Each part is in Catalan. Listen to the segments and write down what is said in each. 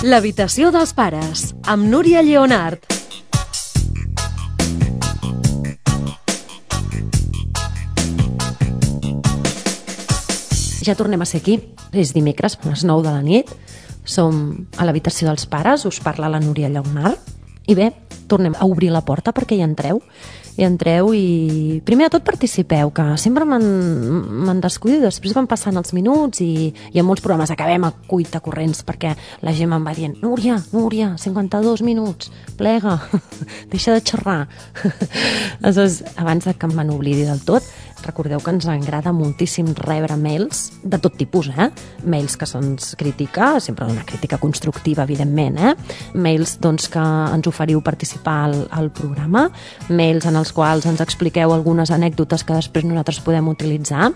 L'habitació dels pares, amb Núria Lleonart. Ja tornem a ser aquí. És dimecres, a les 9 de la nit. Som a l'habitació dels pares, us parla la Núria Lleonart. I bé, tornem a obrir la porta perquè hi entreu. Hi entreu i primer de tot participeu, que sempre me'n descuido, després van passant els minuts i en molts programes acabem a cuita corrents perquè la gent me'n va dient Núria, 52 minuts, plega, deixa de xerrar. Aleshores, abans que em n'oblidi del tot, recordeu que ens agrada moltíssim rebre mails de tot tipus, mails que se'ns critica, sempre una crítica constructiva, evidentment, mails doncs, que ens oferiu participar al programa, mails en els quals ens expliqueu algunes anècdotes que després nosaltres podem utilitzar.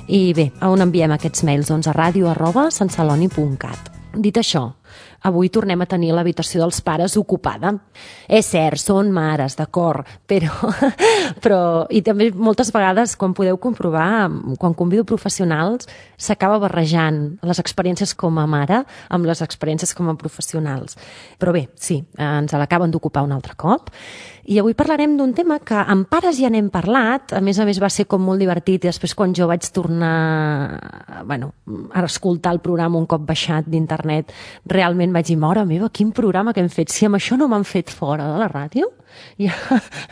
I bé, a on enviem aquests mails? Doncs a radio@santceloni.cat. Dit això, avui tornem a tenir l'habitació dels pares ocupada. És cert, són mares, d'acord, però i també moltes vegades, quan podeu comprovar, quan convido professionals, s'acaba barrejant les experiències com a mare amb les experiències com a professionals. Però bé, sí, ens l'acaben d'ocupar un altre cop. I avui parlarem d'un tema que amb pares ja n'hem parlat, a més va ser com molt divertit, i després quan jo vaig tornar a escoltar el programa un cop baixat d'internet, realment vaig dir, mare meva, quin programa que hem fet, si amb això no m'han fet fora de la ràdio? Ja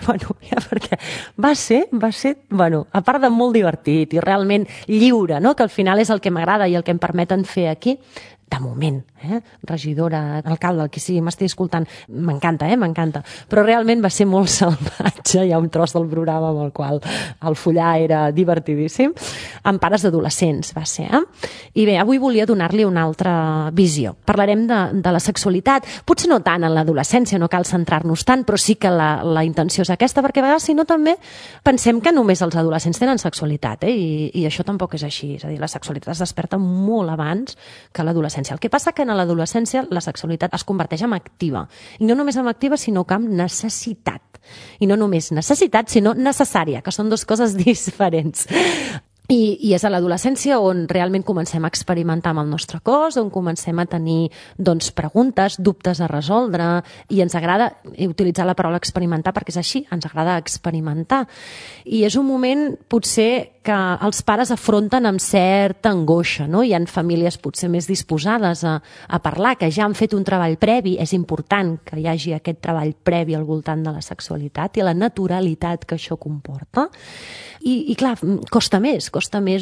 perquè va ser, a part de molt divertit i realment lliure, no? Que al final és el que m'agrada i el que em permeten fer aquí, de moment, regidora, alcalde, el que sigui, m'estigui escoltant, m'encanta, m'encanta, però realment va ser molt salvatge, hi ha un tros del programa amb el qual el follar era divertidíssim, amb pares d'adolescents va ser, I bé, avui volia donar-li una altra visió. Parlarem de la sexualitat, potser no tant en l'adolescència, no cal centrar-nos tant, però sí que la intenció és aquesta, perquè a vegades, si no, també pensem que només els adolescents tenen sexualitat, i això tampoc és així, és a dir, la sexualitat es desperta molt abans que l'adolescència. El que passa que en l'adolescència la sexualitat es converteix en activa. I no només en activa, sinó que en necessitat. I no només necessitat, sinó necessària, que són dues coses diferents. I és a l'adolescència on realment comencem a experimentar amb el nostre cos, on comencem a tenir preguntes, dubtes a resoldre, i ens agrada utilitzar la paraula experimentar perquè és així, ens agrada experimentar. I és un moment potser que els pares afronten amb certa angoixa, no? Hi ha famílies potser més disposades a parlar, que ja han fet un treball previ, és important que hi hagi aquest treball previ al voltant de la sexualitat i la naturalitat que això comporta. I clar, costa més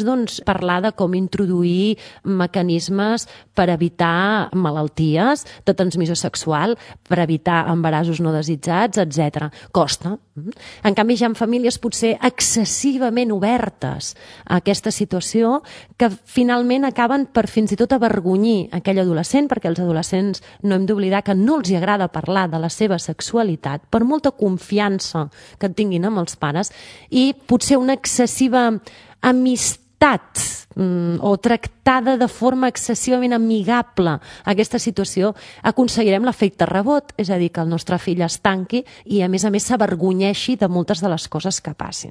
doncs, parlar de com introduir mecanismes per evitar malalties de transmissió sexual, per evitar embarassos no desitjats, etc. Costa. En canvi, hi ha famílies potser excessivament obertes a aquesta situació que finalment acaben per fins i tot avergonyir aquell adolescent, perquè els adolescents no hem d'oblidar que no els agrada parlar de la seva sexualitat, per molta confiança que tinguin amb els pares, i potser una excessiva amistat o tractada de forma excessivament amigable aquesta situació, aconseguirem l'efecte rebot, és a dir, que el nostre fill es tanqui i a més s'avergonyeixi de moltes de les coses que passin.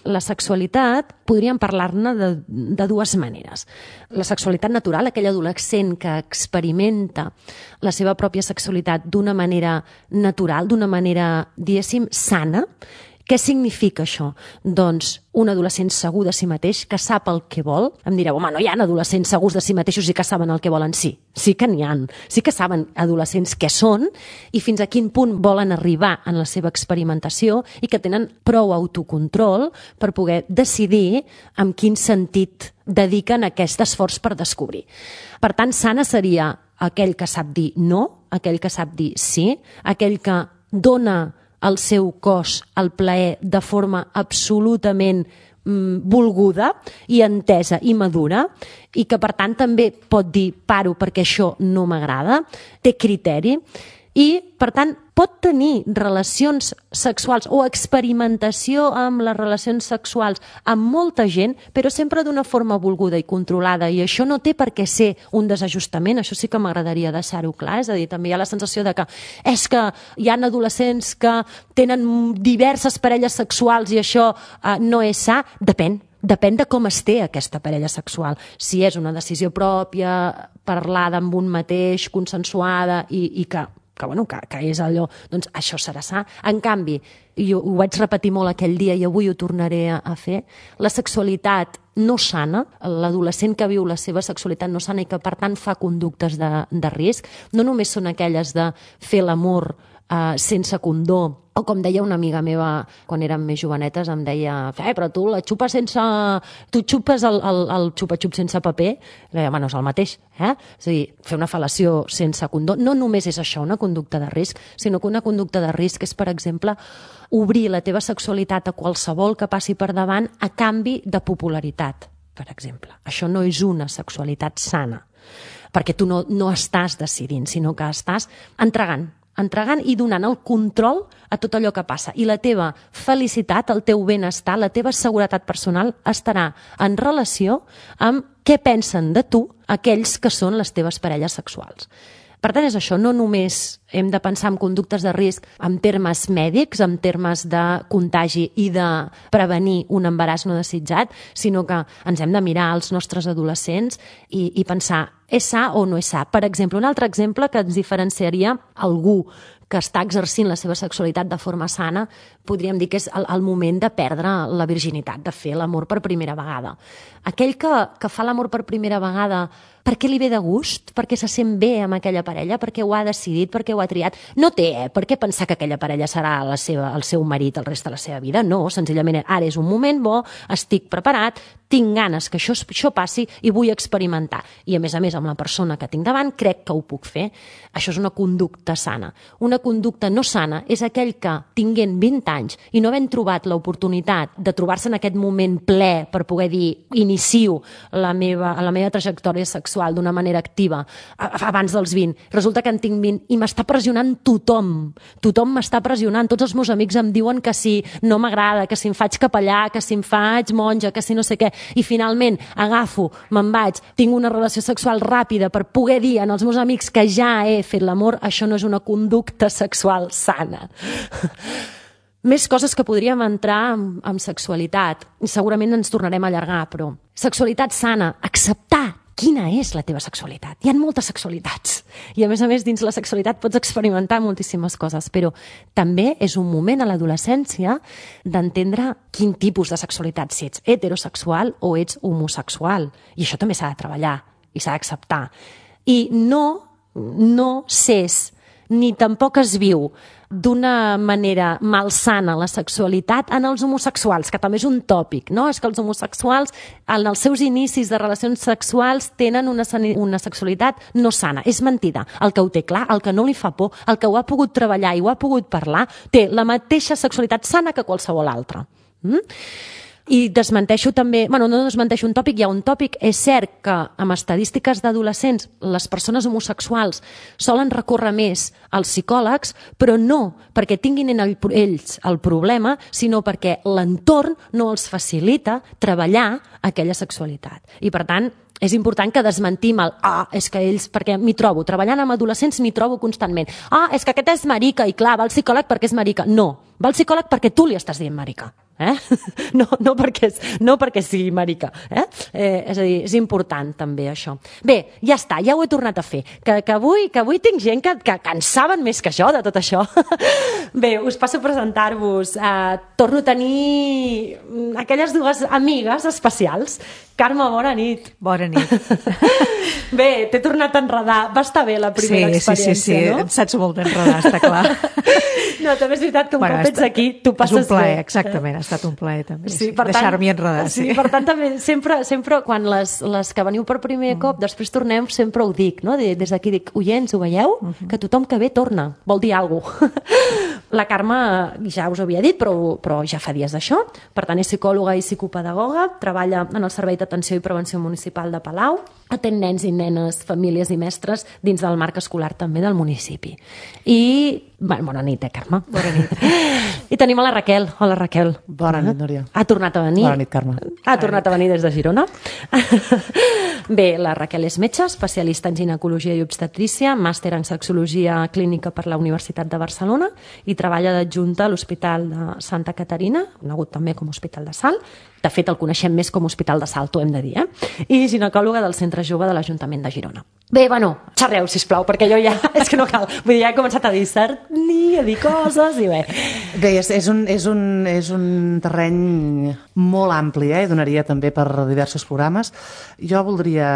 La sexualitat, podríem parlar-ne de dues maneres. La sexualitat natural, aquell adolescent que experimenta la seva pròpia sexualitat d'una manera natural, d'una manera, diguéssim, sana. Què significa això? Doncs un adolescent segur de si mateix, que sap el que vol. Em direu, home, no hi ha adolescents segurs de si mateixos i que saben el que volen. Sí que n'hi ha. Sí que saben adolescents què són i fins a quin punt volen arribar en la seva experimentació i que tenen prou autocontrol per poder decidir en quin sentit dediquen aquest esforç per descobrir. Per tant, sana seria aquell que sap dir no, aquell que sap dir sí, aquell que dona el seu cos al plaer de forma absolutament volguda i entesa i madura, i que per tant també pot dir paro perquè això no m'agrada, té criteri i per tant pot tenir relacions sexuals o experimentació amb les relacions sexuals amb molta gent, però sempre d'una forma volguda i controlada, i això no té per què ser un desajustament. Això sí que m'agradaria deixar-ho clar, és a dir, també hi ha la sensació de que és que hi ha adolescents que tenen diverses parelles sexuals i això no és sa. Depèn. depèn de com es té aquesta parella sexual. Si és una decisió pròpia, parlada amb un mateix, consensuada i que és allò, doncs això serà sa. En canvi, jo ho vaig repetir molt aquell dia i avui ho tornaré a fer, la sexualitat no sana, l'adolescent que viu la seva sexualitat no sana i que per tant fa conductes de risc, no només són aquelles de fer l'amor sense condó, o com deia una amiga meva quan érem més jovenetes, em deia, però tu la xupes sense... Tu xupes el xupa-xup sense paper? Deia, bueno, és el mateix, És a dir, fer una fel·lació sense condó no només és això, una conducta de risc, sinó que una conducta de risc és, per exemple, obrir la teva sexualitat a qualsevol que passi per davant a canvi de popularitat, per exemple. Això no és una sexualitat sana, perquè tu no estàs decidint, sinó que estàs entregant i donant el control a tot allò que passa. I la teva felicitat, el teu benestar, la teva seguretat personal estarà en relació amb què pensen de tu aquells que són les teves parelles sexuals. Per tant, és això, no només hem de pensar en conductes de risc en termes mèdics, en termes de contagi i de prevenir un embaràs no desitjat, sinó que ens hem de mirar als nostres adolescents i pensar, és sa o no és sa? Per exemple, un altre exemple que ens diferenciaria algú que està exercint la seva sexualitat de forma sana, podríem dir que és el moment de perdre la virginitat, de fer l'amor per primera vegada. Aquell que fa l'amor per primera vegada perquè li ve de gust, perquè se sent bé amb aquella parella, perquè ho ha decidit, perquè ho ha triat. No té, per què pensar que aquella parella serà el seu marit el rest de la seva vida? No, senzillament ara és un moment bo, estic preparat, tinc ganes que això passi i vull experimentar. I a més, amb la persona que tinc davant, crec que ho puc fer. Això és una conducta sana. Una conducta no sana és aquell que, tinguent 20 anys i no havent trobat l'oportunitat de trobar-se en aquest moment ple per poder dir, inicio la meva trajectòria sexual d'una manera activa abans dels 20, resulta que en tinc 20 i m'està pressionant tothom. Tothom m'està pressionant. Tots els meus amics em diuen que si no m'agrada, que si em faig capellà, que si em faig monja, que si no sé què. I finalment agafo, me'n vaig, tinc una relació sexual ràpida per poder dir als meus amics que ja he fet l'amor. Això no és una conducta sexual sana. Més coses que podríem entrar amb sexualitat. I segurament ens tornarem a allargar, però sexualitat sana, acceptar quina és la teva sexualitat. Hi ha moltes sexualitats i a més, dins la sexualitat pots experimentar moltíssimes coses, però també és un moment a l'adolescència d'entendre quin tipus de sexualitat, si ets heterosexual o ets homosexual. I això també s'ha de treballar i s'ha d'acceptar. I no s'és ni tampoc es viu d'una manera malsana la sexualitat en els homosexuals, que també és un tòpic, no? És que els homosexuals en els seus inicis de relacions sexuals tenen una sexualitat no sana. És mentida. El que ho té clar, el que no li fa por, el que ho ha pogut treballar i ho ha pogut parlar, té la mateixa sexualitat sana que qualsevol altra. I desmenteixo també, no desmenteixo un tòpic, hi ha un tòpic. És cert que amb estadístiques d'adolescents les persones homosexuals solen recórrer més als psicòlegs, però no perquè tinguin ells el problema, sinó perquè l'entorn no els facilita treballar aquella sexualitat. I per tant, és important que desmentim és que ells, perquè m'hi trobo, treballant amb adolescents m'hi trobo constantment. És que aquest és marica i clar, va al psicòleg perquè és marica. No, va al psicòleg perquè tu li estàs dient marica. No perquè sigui marica. És a dir, és important també això. Bé, ja està, ja ho he tornat a fer. Que avui tinc gent que en saben més que jo de tot això. Bé, us passo a presentar-vos. Torno a tenir aquelles dues amigues especials. Carme, bona nit. Bona nit. Bé, t'he tornat a enredar. Va estar bé la primera experiència, no? Sí, em saps molt d'enredar, està clar. No, també és veritat que un cop ets aquí, tu passes bé. És un plaer, exactament, ha estat un plaer també, deixar-m'hi enredar. Sí, per tant, també sempre quan les que veniu per primer cop, després tornem, sempre ho dic, no? Des d'aquí dic, oients, ho veieu? Que tothom que ve torna, vol dir alguna cosa. La Carme ja us ho havia dit, però ja fa dies d'això. Per tant, és psicòloga i psicopedagoga, treballa en el Servei d'Atenció i Prevenció Municipal de Palau, atén nens i nenes, famílies i mestres dins del marc escolar també del municipi. I bona nit, Carme. Bona nit. I tenim a la Raquel. Hola, Raquel. Bona nit, Núria. Ha tornat a venir. Bona nit, Carme. Ha tornat a venir des de Girona. Bé, la Raquel és metge, especialista en ginecologia i obstetrícia, màster en sexologia clínica per la Universitat de Barcelona i treballa d'adjunta a l'Hospital de Santa Caterina, conegut també com Hospital de Salt. De fet, el coneixem més com Hospital de Salt, ho hem de dir, I ginecòloga del Centre Jove de l'Ajuntament de Girona. Bé, bueno, xerreu, sisplau, perquè jo ja... És que no cal. Vull dir, ja he començat a discernir, a dir coses i bé. Bé, és un terreny molt ampli, i donaria també per diversos programes. Jo voldria,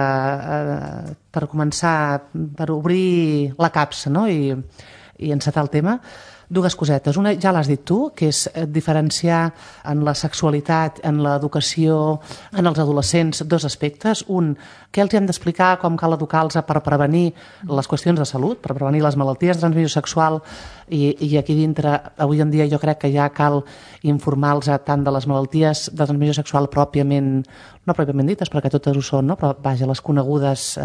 per començar, per obrir la capsa, no?, i encetar el tema, dues cosetes. Una, ja l'has dit tu, que és diferenciar en la sexualitat, en l'educació, en els adolescents, dos aspectes. Un, què els hem d'explicar, com cal educar-los per prevenir les qüestions de salut, per prevenir les malalties de transmissió sexual, i aquí dintre, avui en dia, jo crec que ja cal informar-los tant de les malalties de transmissió sexual pròpiament, no pròpiament dites, perquè totes ho són, no? Però vaja, les conegudes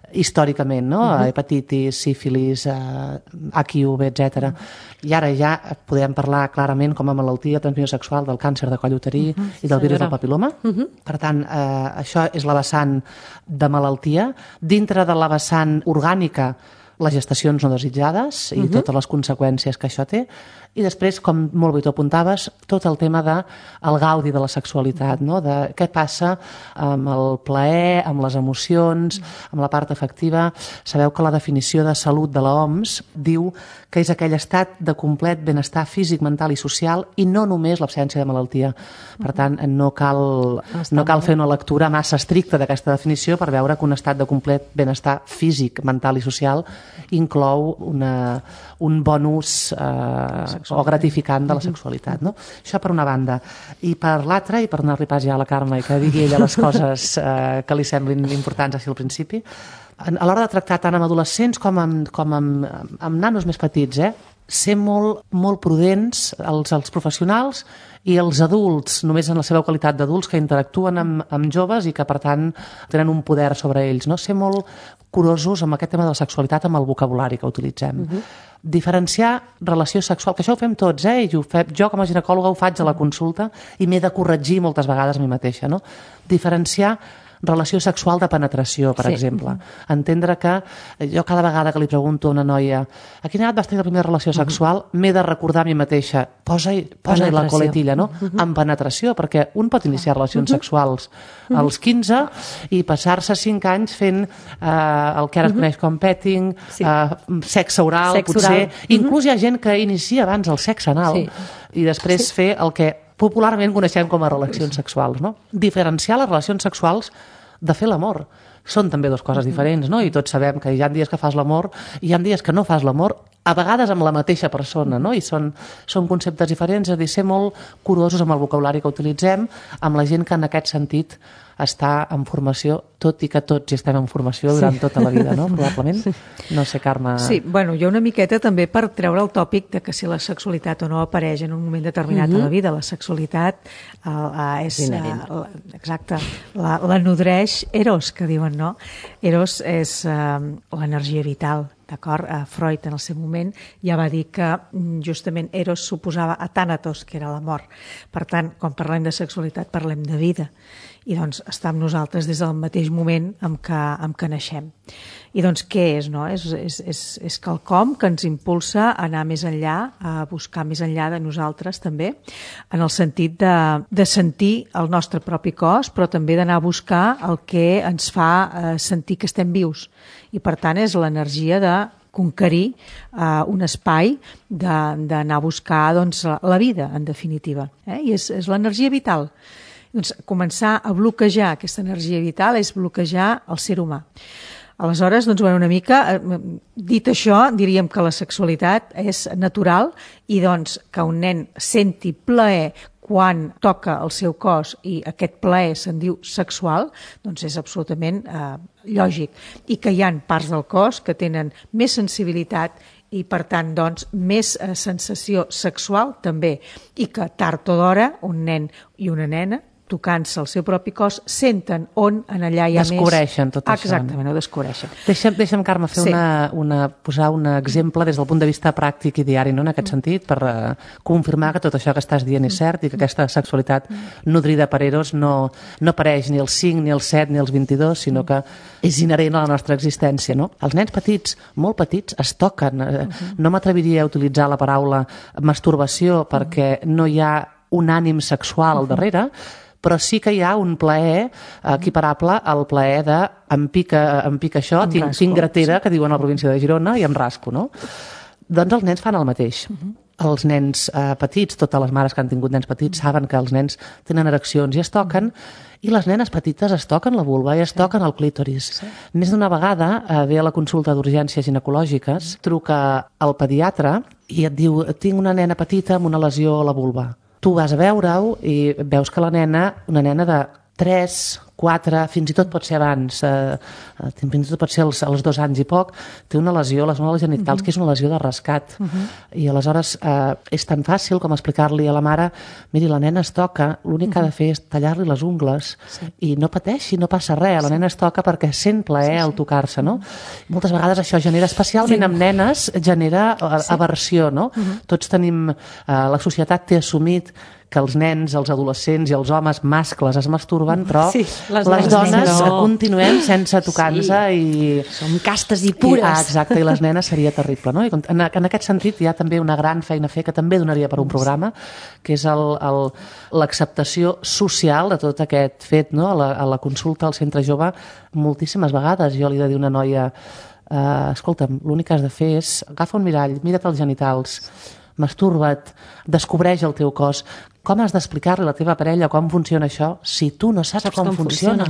històricament, no? Hepatitis, sífilis, HIV, etc. I ara ja podem parlar clarament com a malaltia de transmissió sexual del càncer de coll uterí i del virus del papil·loma. Per tant, això és la vessant de malaltia. Dintre de la vessant orgànica, les gestacions no desitjades i totes les conseqüències que això té. I després, com molt bé tu apuntaves, tot el tema del gaudi de la sexualitat, no? De què passa amb el plaer, amb les emocions, amb la part afectiva. Sabeu que la definició de salut de l'OMS diu que és aquell estat de complet benestar físic, mental i social i no només l'absència de malaltia. Per tant, no cal fer una lectura massa estricta d'aquesta definició per veure que un estat de complet benestar físic, mental i social inclou un bon ús o gratificant de la sexualitat, no? Això per una banda. I per l'altra, i per anar-li pas ja a la Carme i que digui ella les coses que li semblin importants així al principi, a l'hora de tractar tant amb adolescents com amb nanos més petits, ser molt prudents els professionals i els adults, només en la seva qualitat d'adults que interactuen amb joves i que, per tant, tenen un poder sobre ells, no? Ser molt curosos amb aquest tema de la sexualitat, amb el vocabulari que utilitzem. Diferenciar relació sexual, que això ho fem tots, i jo com a ginecòloga ho faig a la consulta i m'he de corregir moltes vegades a mi mateixa, no? Diferenciar relació sexual de penetració, per exemple. Entendre que jo cada vegada que li pregunto a una noia a quina edat vas tenir la primera relació sexual, m'he de recordar a mi mateixa, posa-hi la coletilla, no? En penetració, perquè un pot iniciar relacions sexuals als 15 i passar-se 5 anys fent el que ara es coneix com petting, sexe oral, potser. Inclús hi ha gent que inicia abans el sexe anal i després fer el que popularment coneixem com a relacions sexuals, no? Diferenciar les relacions sexuals de fer l'amor. Són també dues coses diferents, no? I tots sabem que hi ha dies que fas l'amor i hi ha dies que no fas l'amor, a vegades amb la mateixa persona, no? I són conceptes diferents, és a dir, ser molt curosos amb el vocabulari que utilitzem, amb la gent que en aquest sentit està en formació, tot i que tots hi estem en formació durant tota la vida, no? Probablement. No sé, Carme... Sí, bueno, jo una miqueta també per treure el tòpic de que si la sexualitat o no apareix en un moment determinat de la vida. La sexualitat és... Exacte. La nodreix Eros, que diuen, no? Eros és l'energia vital, d'acord? Freud en el seu moment ja va dir que justament Eros suposava a Thanatos, que era la mort. Per tant, quan parlem de sexualitat parlem de vida. I doncs està amb nosaltres des del mateix moment en què naixem. I doncs què és, no? És quelcom que ens impulsa a anar més enllà, a buscar més enllà de nosaltres també, en el sentit de sentir el nostre propi cos, però també d'anar a buscar el que ens fa sentir que estem vius. I per tant és l'energia de conquerir un espai, d'anar a buscar doncs, la vida, en definitiva. I és l'energia vital. Doncs començar a bloquejar aquesta energia vital és bloquejar el ser humà. Aleshores, doncs, una mica, dit això, diríem que la sexualitat és natural i doncs que un nen senti plaer quan toca el seu cos i aquest plaer se'n diu sexual, doncs és absolutament lògic. I que hi ha parts del cos que tenen més sensibilitat i, per tant, doncs, més sensació sexual també. I que tard o d'hora un nen i una nena tocant-se el seu propi cos, senten on en allà hi ha descobreixen tot això. Exactament, ho descobreixen. Deixa'm, Carme, fer posar un exemple des del punt de vista pràctic i diari, no? En aquest sentit, per confirmar que tot això que estàs dient és cert i que aquesta sexualitat nodrida per Eros no apareix ni als 5, ni als 7, ni als 22, sinó que és inherent a la nostra existència, no? Els nens petits, molt petits, es toquen. No m'atreviria a utilitzar la paraula masturbació perquè no hi ha un ànim sexual al darrere, però sí que hi ha un plaer equiparable al plaer de em pica això, tinc gratera, que diuen a la província de Girona, i em rasco, no? Doncs els nens fan el mateix. Els nens petits, totes les mares que han tingut nens petits saben que els nens tenen ereccions i es toquen, i les nenes petites es toquen la vulva i es toquen el clítoris. Més d'una vegada ve a la consulta d'urgències ginecològiques, truca al pediatre i et diu, tinc una nena petita amb una lesió a la vulva. Tu vas a veure-ho i veus que la nena, una nena de 3, 4, fins i tot pot ser abans, fins i tot pot ser als 2 anys i poc, té una lesió a les moles genitals, que és una lesió de rescat. I aleshores és tan fàcil com explicar-li a la mare, miri, la nena es toca, l'únic que ha de fer és tallar-li les ungles i no pateixi, no passa res, la nena es toca perquè sent plaer al tocar-se, no? Moltes vegades això genera, especialment amb nenes, genera aversió, no? Tots tenim, la societat té assumit que els nens, els adolescents i els homes mascles es masturben, però les dones continuem sense tocar-nos i... Som castes i pures. Exacte, i les nenes seria terrible, no? I en aquest sentit hi ha també una gran feina a fer que també donaria per un programa, que és l'acceptació social de tot aquest fet, no? A la consulta al centre jove, moltíssimes vegades jo li he de dir a una noia, escolta'm, l'únic que has de fer és agafa un mirall, mira't els genitals, masturba't, descobreix el teu cos. Com has d'explicar-li a la teva parella com funciona això si tu no saps com funciona?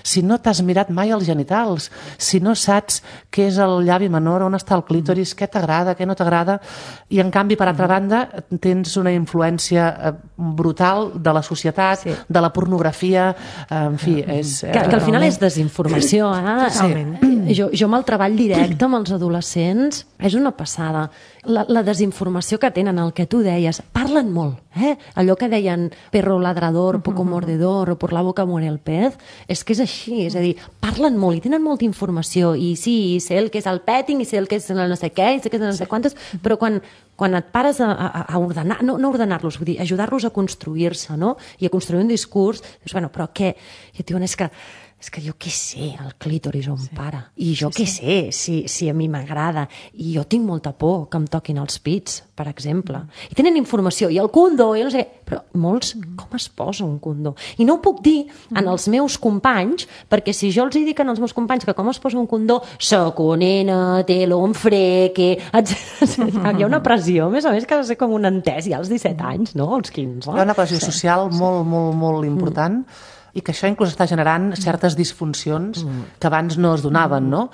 Si no t'has mirat mai els genitals, si no saps què és el llavi menor, on està el clítoris, què t'agrada, què no t'agrada, i en canvi, per altra banda, tens una influència brutal de la societat, de la pornografia, en fi, és... Que al final és desinformació, Totalment. Jo amb el treball directe amb els adolescents és una passada. La desinformació que tenen, el que tu deies, parlen molt, allò que deien perro ladrador, poco mordedor o por la boca muere el pez, és que és així, és a dir, parlen molt i tenen molta informació i sí, sé el que és el petting i sé el que és el no sé què i sé que és el no sé quantes, però quan et pares a ordenar, no ordenar-los, vull dir, ajudar-los a construir-se, no? I a construir un discurs, dius, bueno, però què? I et diuen, és que jo què sé, el clítoris on para. I jo què sé, si a mi m'agrada. I jo tinc molta por que em toquin els pits, per exemple. I tenen informació, i el condó, i no sé, però molts, com es posa un condó? I no ho puc dir en els meus companys, perquè si jo els dic en els meus companys que com es posa un condó, soc una nena, té l'on freque, hi ha una pressió, més o més, que ha de ser com un entès ja als 17 anys, no? Als 15. Hi ha una pressió social molt, molt, molt important, i que això inclús està generant certes disfuncions que abans no es donaven, no?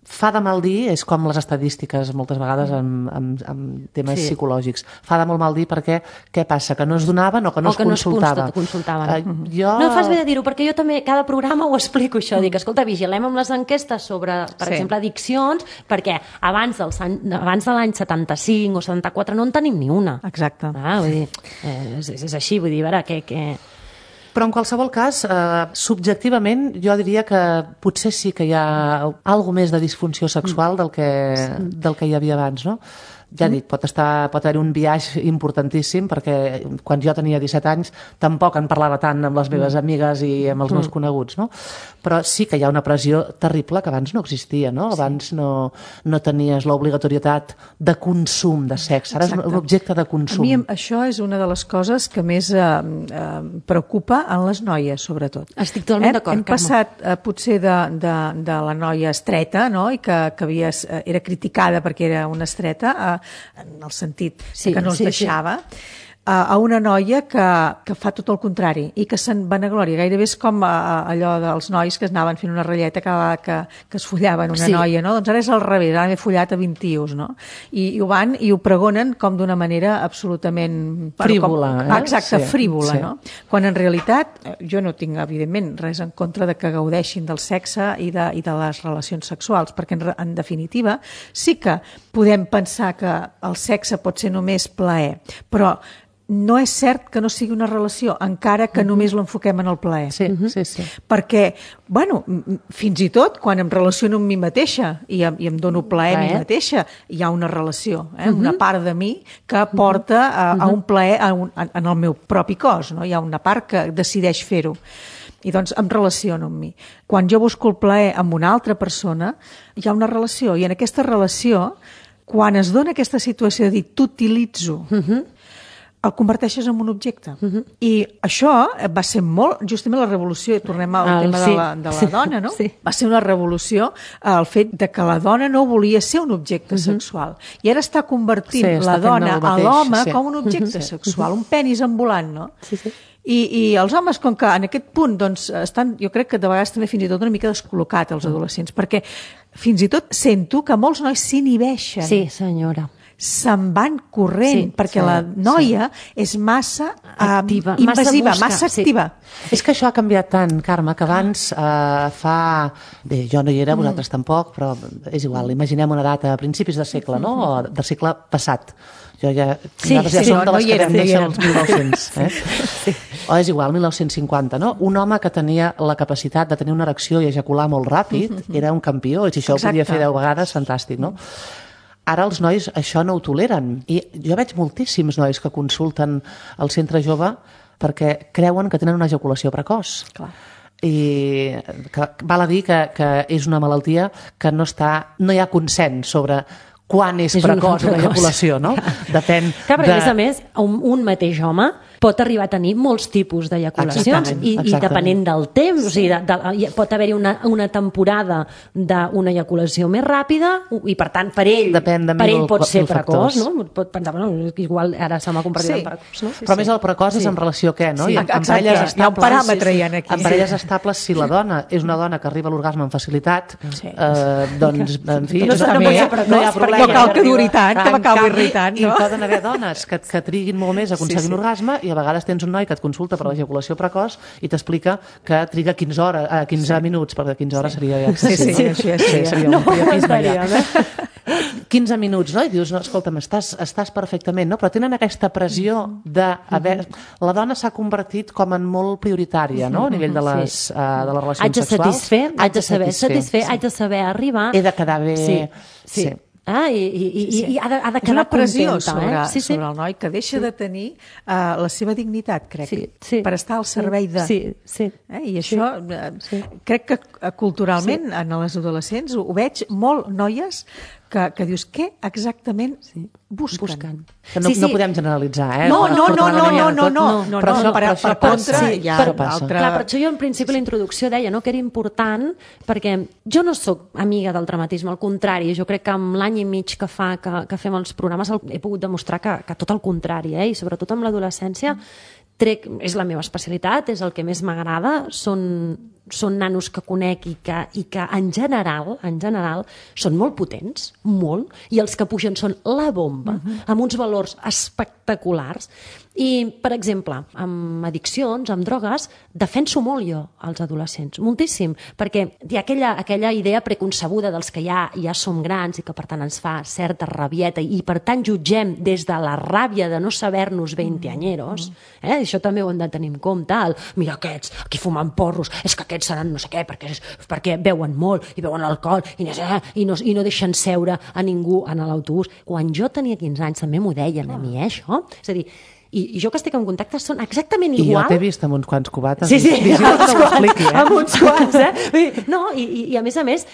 Fa de mal dir, és com les estadístiques moltes vegades amb temes psicològics. Fa de molt mal dir perquè què passa? Que no es donaven o que no es consultava? No fas bé de dir-ho, perquè jo també cada programa ho explico això, dic, escolta, vigilem amb les enquestes sobre, per exemple, addiccions, perquè abans de l'any 75 o 74 no en tenim ni una. Exacte. Vull dir, és així, vull dir, a veure, què... Però en qualsevol cas, subjectivament, jo diria que potser sí que hi ha alguna més de disfunció sexual del que hi havia abans, no? Ja dic, pot haver un viatge importantíssim, perquè quan jo tenia 17 anys tampoc en parlava tant amb les meves amigues i amb els meus coneguts, no? Però sí que hi ha una pressió terrible que abans no existia, no? Abans no tenies l'obligatorietat de consum de sexe, ara és un objecte de consum. A mi això és una de les coses que més preocupa en les noies, sobretot. Estic totalment d'acord, Carme. Hem passat potser de la noia estreta, no? I que era criticada perquè era una estreta, en el sentit que no es deixava, a una noia que fa tot el contrari i que se'n vanagloria. Gairebé és com allò dels nois que es anaven fent una ratlleta que es follaven una noia, no? Doncs ara és al revés, ara m'he follat a 20 tios, no? I ho van i ho pregonen com d'una manera absolutament... Frívola, Exacte, frívola, no? Quan en realitat, jo no tinc, evidentment, res en contra de que gaudeixin del sexe i de les relacions sexuals, perquè en definitiva sí que podem pensar que el sexe pot ser només plaer, però no és cert que no sigui una relació, encara que només l'enfoquem en el plaer. Sí, sí. Perquè, bueno, fins i tot quan em relaciono amb mi mateixa i em dono plaer a mi mateixa, hi ha una relació, una part de mi que porta a un plaer en el meu propi cos, no? Hi ha una part que decideix fer-ho. I doncs em relaciono amb mi. Quan jo busco el plaer amb una altra persona, hi ha una relació, i en aquesta relació, quan es dona aquesta situació de dir t'utilitzo, el converteixes en un objecte. I això va ser molt, justament la revolució, i tornem al tema de la dona, no? Sí. Va ser una revolució el fet de que la dona no volia ser un objecte sexual. I ara està convertint la dona a l'home com un objecte sexual, un penis ambulant, no? Sí. I els homes, com que en aquest punt doncs, estan, jo crec que de vegades també fins i tot una mica descol·locats els adolescents, perquè fins i tot sento que molts nois s'inhibeixen. Sí, senyora. Se'n van corrent, perquè la noia és massa activa, invasiva, massa activa. És que això ha canviat tant, Carme, que abans Bé, jo no hi era, vosaltres tampoc, però és igual, imaginem una data a principis de segle, no? O del segle passat. Jo nosaltres ja som de les que vam néixer als 1900. O és igual, 1950, no? Un home que tenia la capacitat de tenir una erecció i ejacular molt ràpid era un campió, i si això ho podia fer 10 vegades, fantàstic, no? Ara els nois això no ho toleren. I jo veig moltíssims nois que consulten al centre jove perquè creuen que tenen una ejaculació precoç. Clar. I que val a dir que és una malaltia que no hi ha consens sobre quan és precoç una ejaculació, no? Depèn de... Perquè, a més, un mateix home pot arribar a tenir molts tipus d'ejaculacions i depenent del temps, o sigui, pot haver-hi una temporada d'una ejaculació més ràpida i, per tant, per ell pot ser precoç, no? Pot pensar, bueno, igual ara se m'ha convertit en precoç, no? Però més el precoç és en relació a què, no? Sí, exacte, hi ha un paràmetre ja aquí. En parelles estables, si la dona és una dona que arriba a l'orgasme amb facilitat, doncs, en fi, no hi ha problema. No cal que duri tant, que m'acabi irritant, no? I poden haver dones que triguin molt més a aconseguir un orgasme, i a vegades tens un noi que et consulta per l'ejaculació precoç i t'explica que triga 15 minuts, perquè 15 hores seria... Seria un priapisme ja. 15 minuts, no? I dius, no, escolta'm, estàs perfectament, no? Però tenen aquesta pressió de... La dona s'ha convertit com en molt prioritària, no? A nivell de les relacions sexuals. Haig de saber satisfer, haig de saber arribar... He de quedar bé... Sí. I ha de quedar és una pressió contenta, sobre el noi que deixa de tenir la seva dignitat, crec, per estar al servei de... I això crec que culturalment en les adolescents ho veig molt noies que dius, què exactament busquen? Que no podem generalitzar, eh? No, per contra hi ha altra... Clar, per això jo en principi la introducció deia que era important, perquè jo no sóc amiga del dramatisme, al contrari, jo crec que amb l'any i mig que fa que fem els programes he pogut demostrar que tot el contrari, i sobretot amb l'adolescència és la meva especialitat, és el que més m'agrada, són nanos que conec i que en general són molt potents, molt, i els que pugen són la bomba, amb uns valors espectaculars. I, per exemple, amb addiccions, amb drogues, defenso molt jo als adolescents, moltíssim, perquè hi ha aquella idea preconcebuda dels que ja som grans i que per tant ens fa certa rabieta i per tant jutgem des de la ràbia de no saber-nos 20-anyeros, això també ho hem de tenir en compte, mira aquests, aquí fumant porros, és que aquests seran no sé què, perquè beuen molt i beuen alcohol i no deixen seure a ningú en l'autobús. Quan jo tenia 15 anys també m'ho deien a mi, això. És a dir, i jo que estic en contacte són exactament igual. I jo t'he vist amb uns quants cubates. Sí, amb uns quants, No, i a més,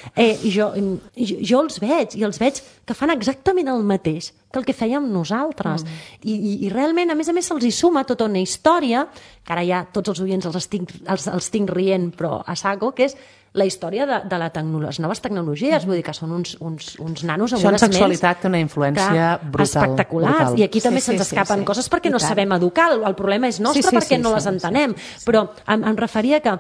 jo els veig que fan exactament el mateix que el que fèiem nosaltres. I realment, a més, se'ls hi suma tota una història, que ara ja tots els oients els tinc rient, però a saco, que és la història de les noves tecnologies, vull dir que són uns nanos amb unes ments... Això en sexualitat té una influència brutal. Espectaculars, i aquí també se'ns escapen coses perquè no sabem educar, el problema és nostre perquè no les entenem, però em referia que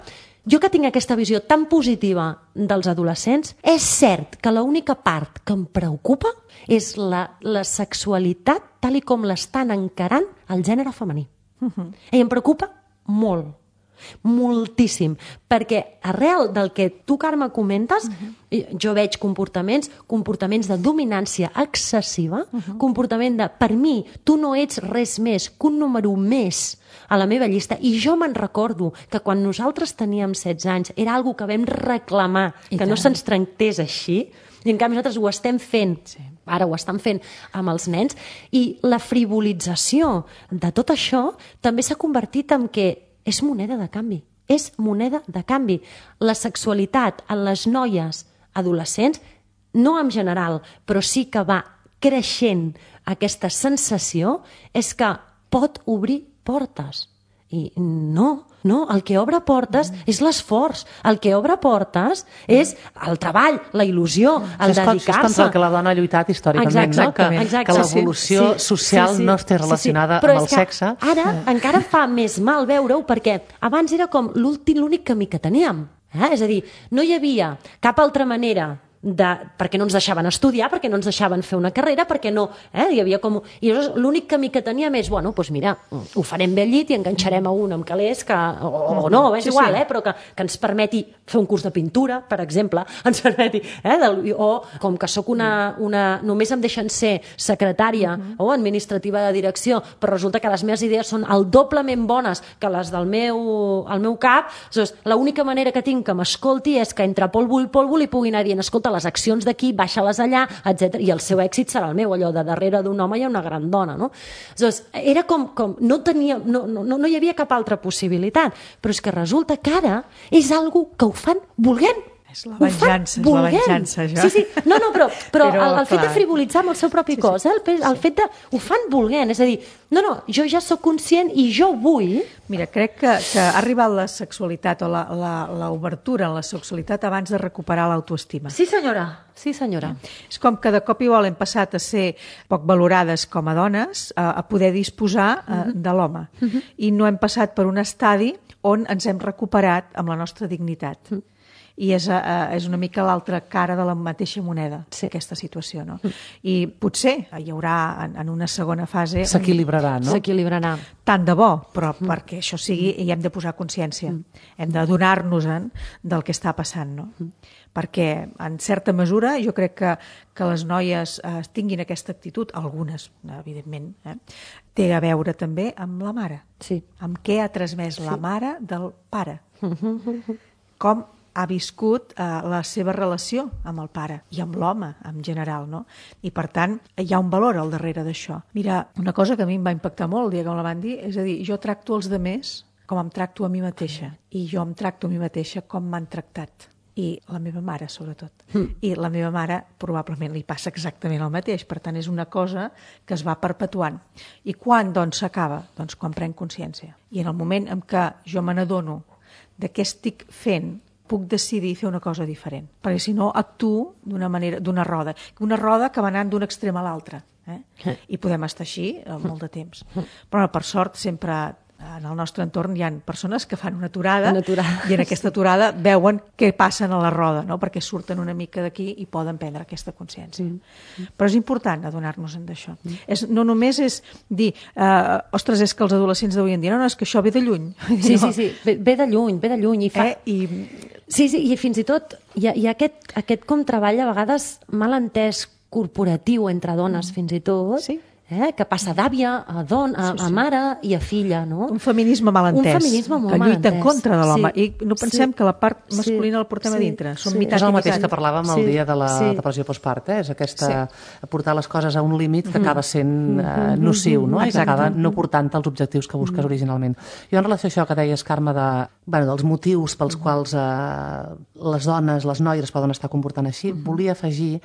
jo que tinc aquesta visió tan positiva dels adolescents, és cert que l'única part que em preocupa és la sexualitat tal i com l'estan encarant el gènere femení. I em preocupa molt. moltíssim, perquè arrel del que tu, Carme, comentes, jo veig comportaments de dominància excessiva, comportament de, per mi, tu no ets res més que un número més a la meva llista, i jo me'n recordo que quan nosaltres teníem 16 anys era algo que vam reclamar, que no se'ns tractés així, i en canvi nosaltres ho estem fent, ara ho estan fent amb els nens, i la frivolització de tot això també s'ha convertit en que és moneda de canvi. És moneda de canvi. La sexualitat en les noies adolescents, no en general, però sí que va creixent aquesta sensació, és que pot obrir portes. I no, el que obre portes és l'esforç, el que obre portes és el treball, la il·lusió, el dedicar-se. És contra el que la dona ha lluitat històricament, no? Que l'evolució social no esté relacionada amb el sexe. Ara encara fa més mal veure-ho, perquè abans era com l'únic camí que teníem. És a dir, no hi havia cap altra manera perquè no ens deixaven estudiar, perquè no ens deixaven fer una carrera, perquè no... Hi havia com... I l'únic camí que teníem és, bueno, doncs mira, ho farem bé al llit i enganxarem a un amb calés que... O no, és igual, però que ens permeti fer un curs de pintura, per exemple, ens permeti... O com que sóc només em deixen ser secretària o administrativa de direcció, però resulta que les meves idees són el doblement bones que les del meu cap, doncs l'única manera que tinc que m'escolti és que entre polvo i polvo li puguin anar dient, escolta, les accions d'aquí, baixa-les allà, etc. I el seu èxit serà el meu, allò de darrere d'un home hi ha una gran dona, no? Aleshores, era com no hi havia cap altra possibilitat, però és que resulta que ara és algo que ho fan volent. És la venjança, això. Sí, no, però el fet de frivolitzar amb el seu propi cos, el fet de... Ho fan volent, és a dir, jo ja sóc conscient i jo vull... Mira, crec que ha arribat la sexualitat o l'obertura en la sexualitat abans de recuperar l'autoestima. Sí, senyora. És com que de cop i volta hem passat a ser poc valorades com a dones, a poder disposar de l'home. I no hem passat per un estadi on ens hem recuperat amb la nostra dignitat. I és una mica l'altra cara de la mateixa moneda, aquesta situació, no? I potser hi haurà en una segona fase... S'equilibrarà, no? S'equilibrarà. Tant de bo, però perquè això sigui hi hem de posar consciència. Hem d'adonar-nos-en del que està passant, no? Perquè, en certa mesura, jo crec que les noies tinguin aquesta actitud, algunes, evidentment, té a veure també amb la mare. Sí. Amb què ha transmès la mare del pare. Com ha viscut la seva relació amb el pare i amb l'home en general, no? I per tant hi ha un valor al darrere d'això. Mira, una cosa que a mi em va impactar molt el dia que me la van dir, és a dir, jo tracto els demés com em tracto a mi mateixa i jo em tracto a mi mateixa com m'han tractat. I la meva mare, sobretot. I la meva mare probablement li passa exactament el mateix, per tant és una cosa que es va perpetuant. I quan, doncs, s'acaba? Doncs quan prenc consciència. I en el moment en què jo me n'adono de què estic fent, puc decidir fer una cosa diferent. Perquè si no actuo d'una roda que va anant d'un extrem a l'altre. I podem estar així molt de temps. Però per sort sempre en el nostre entorn hi ha persones que fan una aturada i en aquesta aturada veuen què passa a la roda, no? Perquè surten una mica d'aquí i poden prendre aquesta consciència. Però és important adonar-nos-en d'això. No només és dir, ostres, és que els adolescents d'avui en dia, no, és que això ve de lluny. Sí, ve de lluny. Sí, i fins i tot hi ha aquest com treball a vegades mal entès corporatiu entre dones fins i tot, que passa d'àvia a mare i a filla, no? Un feminisme mal entès, que lluita en contra de l'home. I no pensem que la part masculina la portem a dintre. És el mateix que parlàvem el dia de la depressió postpart, és aquesta portar les coses a un límit que acaba sent nociu, no? I que acaba no portant els objectius que busques originalment. Jo en relació a això que deies, Carme, dels motius pels quals les dones, les noies poden estar comportant així, volia afegir.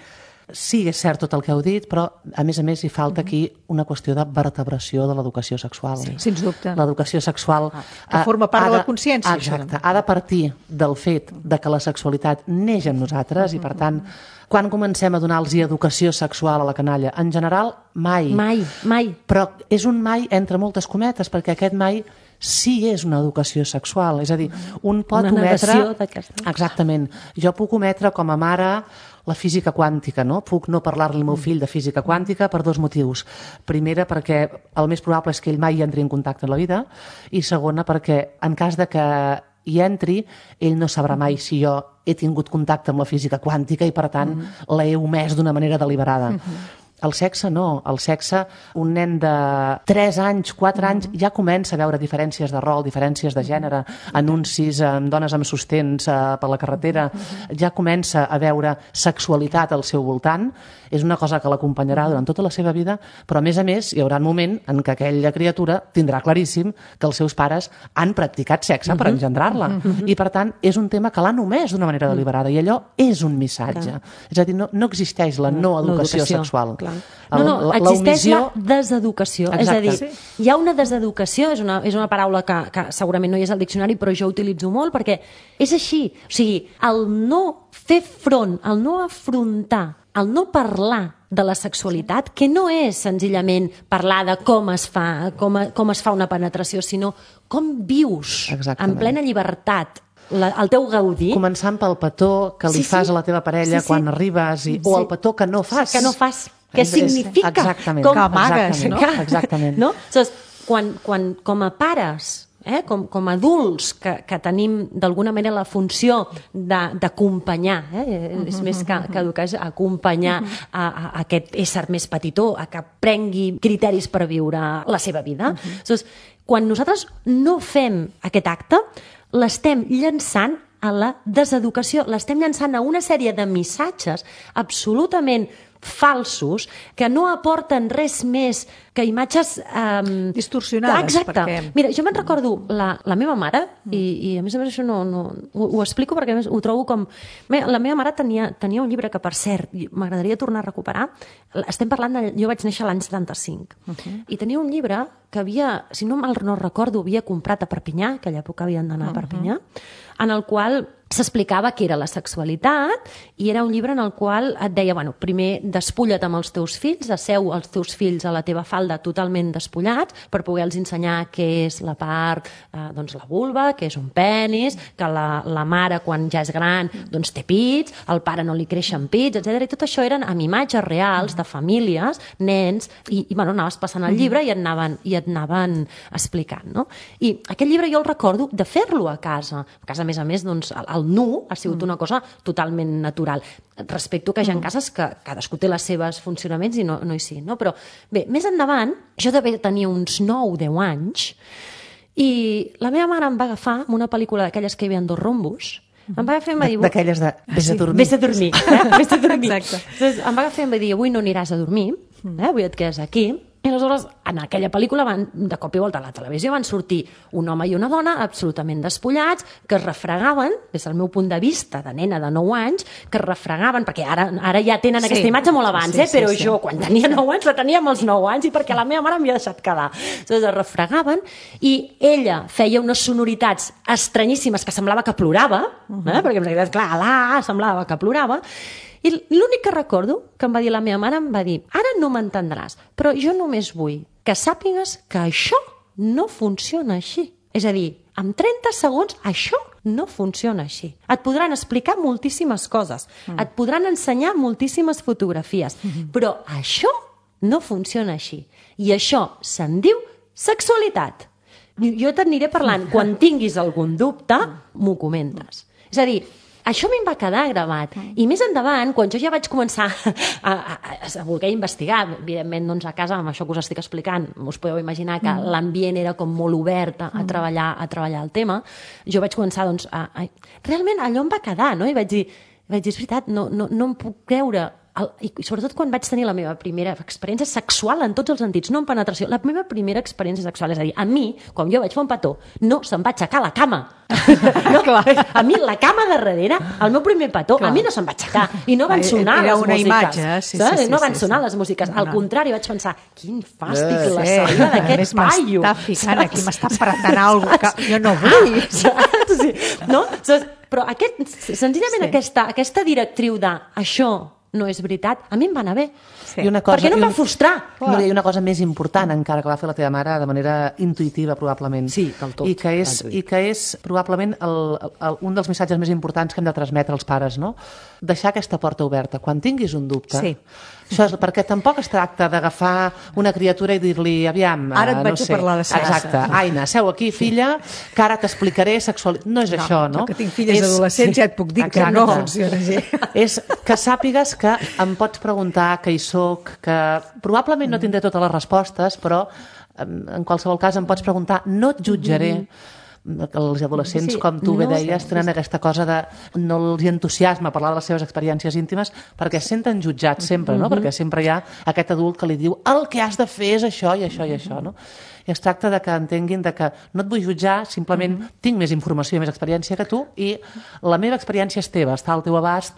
Sí, és cert tot el que heu dit, però a més hi falta aquí una qüestió de vertebració de l'educació sexual. Sí, sens dubte. L'educació sexual... Que forma part de la consciència. Exacte. Ha de partir del fet de que la sexualitat neix en nosaltres i, per tant, quan comencem a donar-los educació sexual a la canalla? En general, mai. Mai. Però és un mai entre moltes cometes, perquè aquest mai sí és una educació sexual. És a dir, un pot ometre... Una negació d'aquesta. Exactament. Jo puc ometre com a mare la física quàntica, no? Puc no parlar-li al meu fill de física quàntica per 2 motius. Primera, perquè el més probable és que ell mai hi entri en contacte en la vida, i segona, perquè en cas de que hi entri, ell no sabrà mai si jo he tingut contacte amb la física quàntica i, per tant, l'he omès d'una manera deliberada. El sexe no. El sexe, un nen de 3 anys, 4 anys, ja comença a veure diferències de rol, diferències de gènere, anuncis amb dones amb sostens per la carretera, ja comença a veure sexualitat al seu voltant. És una cosa que l'acompanyarà durant tota la seva vida, però a més hi haurà un moment en què aquella criatura tindrà claríssim que els seus pares han practicat sexe per engendrar-la. I, per tant, és un tema que l'han omès d'una manera deliberada, i allò és un missatge. És a dir, no existeix la no educació sexual. No, existeix la deseducació. Exacte. És a dir, hi ha una deseducació, és una paraula que segurament no hi és al diccionari, però jo utilitzo molt perquè és així. O sigui, el no fer front, el no afrontar, el no parlar de la sexualitat, que no és senzillament parlar de com es fa una penetració, sinó com vius en plena llibertat el teu gaudir. Començant pel petó que li fas a la teva parella quan arribes, o el petó que no fas. Que no fas. Què significa? Exactament. Que amagues, no? Exactament. No? Quan com a pares, com a adults que tenim d'alguna manera la funció d'acompanyar, és més que educar, és acompanyar a aquest ésser més petitó a que prengui criteris per viure la seva vida. Quan nosaltres no fem aquest acte, l'estem llançant a la deseducació, l'estem llançant a una sèrie de missatges absolutament falsos que no aporten res més que imatges distorsionades. Exacte. Mira, jo me'n recordo la meva mare, i a més això ho explico perquè ho trobo com... La meva mare tenia un llibre que, per cert, m'agradaria tornar a recuperar. Estem parlant de... Jo vaig néixer l'any 75 i tenia un llibre que havia, si no mal no recordo, havia comprat a Perpinyà, que a aquella època havien d'anar a Perpinyà, en el qual s'explicava què era la sexualitat, i era un llibre en el qual et deia, primer despulla't amb els teus fills, asseu els teus fills a la teva falda totalment despullats per poder-los ensenyar què és la part, doncs la vulva, què és un penis, que la mare quan ja és gran doncs té pits, al pare no li creixen pits, etc. I tot això eren amb imatges reals de famílies, nens, i anaves passant el llibre i et anaven explicant, no? I aquest llibre jo el recordo de fer-lo a casa. A més a més, doncs, el nu ha sigut una cosa totalment natural. Respecto que hi ha cases que cadascú té les seves funcionaments i no hi siguin, no? Però bé, més endavant, jo devia tenir uns 9-10 anys i la meva mare em va agafar amb una pel·lícula d'aquelles que hi havia 2 rombos, em va agafar i em va dir... D'aquelles de vés a dormir. Vés a dormir, vés a dormir. Exacte. Em va agafar i em va dir, avui no aniràs a dormir, avui et quedes aquí. I aleshores, en aquella pel·lícula, de cop i volta a la televisió van sortir un home i una dona absolutament despullats, que es refregaven, des del meu punt de vista de nena de 9 anys, que es refregaven, perquè ara ja tenen aquesta imatge molt abans, però jo quan tenia 9 anys la tenia amb els 9 anys i perquè la meva mare m'havia deixat quedar. Aleshores es refregaven i ella feia unes sonoritats estranyíssimes que semblava que plorava, perquè en realitat, clar, semblava que plorava. I l'únic que recordo que em va dir la meva mare, em va dir, ara no m'entendràs, però jo només vull que sàpigues que això no funciona així. És a dir, en 30 segons això no funciona així. Et podran explicar moltíssimes coses, et podran ensenyar moltíssimes fotografies, però això no funciona així. I això se'n diu sexualitat. Jo t'aniré parlant. Quan tinguis algun dubte, m'ho comentes. És a dir, això a mi em va quedar gravat. I més endavant, quan jo ja vaig començar a voler investigar, evidentment doncs a casa, amb això que us estic explicant, us podeu imaginar que l'ambient era com molt obert a treballar el tema, jo vaig començar doncs realment allò em va quedar, no? I vaig dir, és veritat, no em puc creure, i sobretot quan vaig tenir la meva primera experiència sexual en tots els sentits, no en penetració, la meva primera experiència sexual, és a dir, a mi, quan jo vaig fer un petó, no se'm va aixecar la cama. No, a mi la cama de darrere, el meu primer petó, a mi no se'm va aixecar i no van sonar les músiques. No van sonar les músiques. Al contrari, vaig pensar, quin fàstic la salida d'aquest paio. M'està ficant aquí, m'està apretant alguna cosa que jo no vull. No? Però senzillament aquesta directriu de això no és veritat. A mi em va anar bé. Sí. Per què no em va frustrar? No, hi ha una cosa més important encara que va fer la teva mare de manera intuïtiva, probablement. Sí, del tot. I que és probablement un dels missatges més importants que hem de transmetre als pares, no? Deixar aquesta porta oberta. Quan tinguis un dubte... Sí. Això és perquè tampoc es tracta d'agafar una criatura i dir-li, aviam... Ara et vaig a parlar de sexe. Exacte. Aina, seu aquí, filla, que ara t'explicaré sexualitat. No és això, no? Que tinc filles adolescents, ja et puc dir que no funciona així. És que sàpigues que em pots preguntar, que hi soc, que probablement no tindré totes les respostes, però en qualsevol cas em pots preguntar, no et jutjaré. Els adolescents, com tu bé deies, tenen aquesta cosa de no els entusiasma parlar de les seves experiències íntimes perquè es senten jutjats sempre, no? Perquè sempre hi ha aquest adult que li diu el que has de fer és això i això i això, no? I es tracta de que entenguin de que no et vull jutjar, simplement tinc més informació i més experiència que tu i la meva experiència és teva, està al teu abast,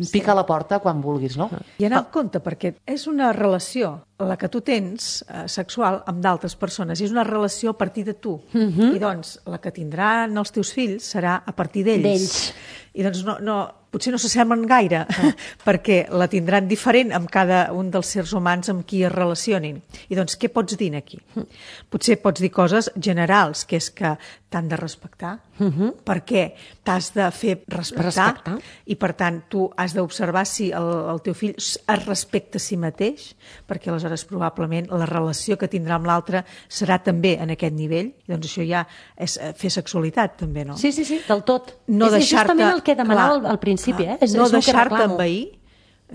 pica a la porta quan vulguis, no? I anar amb compte, perquè és una relació, la que tu tens, sexual, amb d'altres persones, i és una relació a partir de tu. I doncs la que tindran els teus fills serà a partir d'ells. I doncs potser no s'assemblen gaire, perquè la tindran diferent amb cada un dels sers humans amb qui es relacionin. I doncs què pots dir aquí? Potser pots dir coses generals, que és que t'han de respectar, perquè t'has de fer respectar, i per tant tu has d'observar si el teu fill es respecta a si mateix, perquè aleshores probablement la relació que tindrà amb l'altre serà també en aquest nivell, i doncs això ja és fer sexualitat també, no? Sí, del tot. No és justament el que demanava al principi, no deixar-te envair,